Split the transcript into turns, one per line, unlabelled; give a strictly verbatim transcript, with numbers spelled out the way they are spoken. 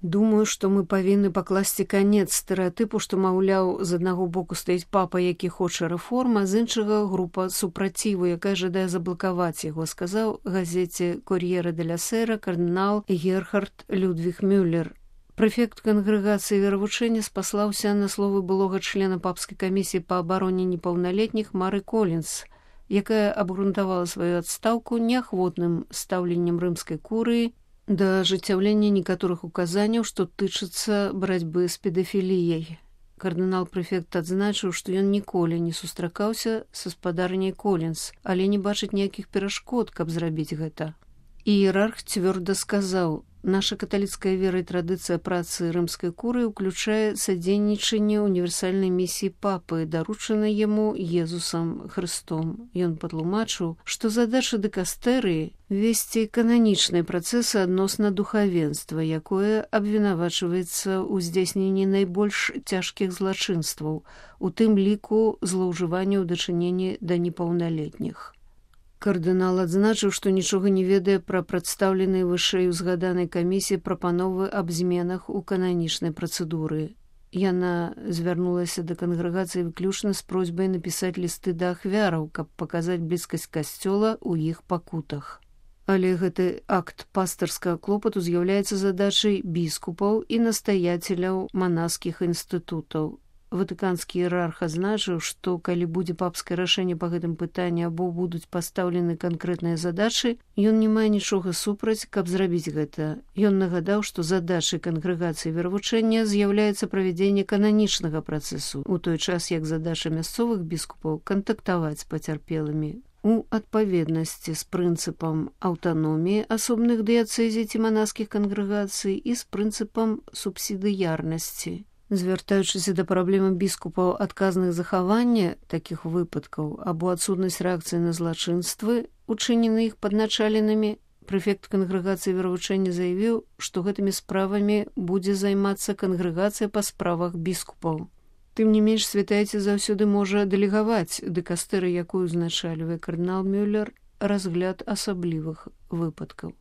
Думаю, што мы павінны пакласці канец стэрэатыпу, што, маўляў, з аднаго боку стаіць папа, які хоча рэформа, з іншага група супраціву, якая жадае заблакаваць яго, сказаў газеце «Кор'єре деля Сера» кардынал Герхард Людвіг Мюллер. Прэфект кангрэгацыі веравучэння спаслаўся на словы былога члена папскай камісіі па абароне непаўналетніх Мары Колінс, якая абгрунтавала сваю адстаўку неахвотным стаўленнем рымскай курыі да ажыццяўлення некаторых указанняў, што тычацца барацьбы з педафіліяй. Кардынал-прэфект адзначыў, што ён ніколі не сустракаўся са спадарняй Колінс, але не бачыць ніякіх перашкод, каб зрабіць гэта. Іерарх цвёрда сказаў: «Наша каталіцкая вера і традыцыя працы рымскай курыі ўключае садзейнічанне універсальнай місіі папы, даручанай яму Езусам Хрыстом». Ён патлумачыў, што задача дыкастэрыі – весці кананічныя працэсы адносна духавенства, якое абвінавачваецца ў здзяйсненні найбольш цяжкіх злачынстваў, у тым ліку злоўжывання ў дачыненні да непаўналетніх. Кардынал адзначыў, што нічога не ведае пра прадстаўленыя вышэй узгаданай камісіі прапановы аб зменах у кананічнай працэдуры. Яна звярнулася да кангрэгацыі выключна з просьбай напісаць лісты да ахвяраў, каб паказаць блізкасць касцёла ў іх пакутах. Але гэты акт пастырскага клопату з'яўляецца задачай біскупаў і настаяцеляў манаскіх інстытутаў. Ватыканскі іерарх азначыў, што калі будзе папскае рашэнне па гэтым пытанні або будуць пастаўлены канкрэтныя задачы, ён не мае нічога супраць, каб зрабіць гэта. Ён нагадаў, што задачай кангрэгацыі веравучэння з'яўляецца правядзенне кананічнага працэсу, у той час як задача мясцовых біскупаў кантактаваць з пацярпелымі у адпаведнасці з прынцыпам аўтаноміі асобных дыяцэзій ці манаскіх кангрэгацый і з прынцыпам субсідыярнасці. Звяртаючыся да праблемы біскупаў адказных захавання такіх выпадкаў або адсутнасць рэакцыі на злачынствы, учынены іх падначаленымі, прэфект кангрэгацыі веравучэння заявіў, што гэтымі справамі будзе займацца кангрэгацыя па справах біскупаў. Тым не менш, святайце заўсёды можа дэлегаваць дыкастэры, якую узначальвае кардынал Мюллер, разгляд асаблівых выпадкаў.